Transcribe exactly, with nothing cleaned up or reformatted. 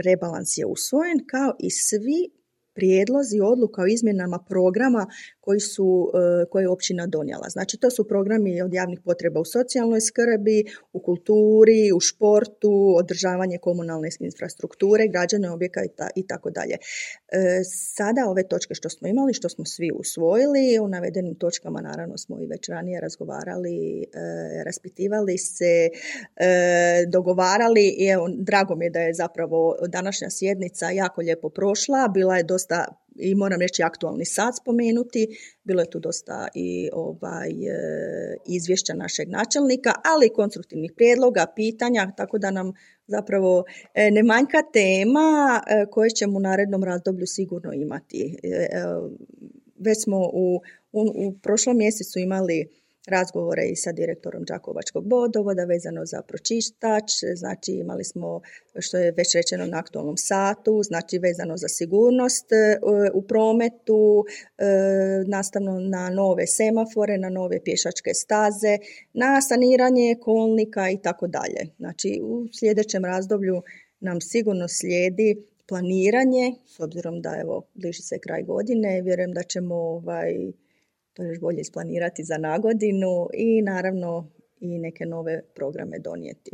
rebalans je usvojen, kao i svi prijedlozi odluka o izmjenama programa koji su, koje je općina donijela. Znači, to su programi od javnih potreba u socijalnoj skrbi, u kulturi, u športu, održavanje komunalne infrastrukture, građenje objekata i tako dalje. Sada ove točke što smo imali, što smo svi usvojili, u navedenim točkama naravno smo i već ranije razgovarali, raspitivali se, dogovarali i evo, drago mi je da je zapravo današnja sjednica jako lijepo prošla, bila je dosta, i moram reći aktualni sat spomenuti, bilo je tu dosta i ovaj, izvješća našeg načelnika, ali i konstruktivnih prijedloga, pitanja, tako da nam zapravo ne manjka tema koje ćemo u narednom razdoblju sigurno imati. Već smo u, u, u prošlom mjesecu imali razgovore i sa direktorom Đakovačkog vodovoda vezano za pročistač, znači imali smo, što je već rečeno na aktualnom satu, znači vezano za sigurnost u prometu, nastavno na nove semafore, na nove pješačke staze, na saniranje kolnika i tako dalje. Znači u sljedećem razdoblju nam sigurno slijedi planiranje, s obzirom da evo bliži se kraj godine, vjerujem da ćemo ovaj to još bolje isplanirati za nagodinu i naravno i neke nove programe donijeti.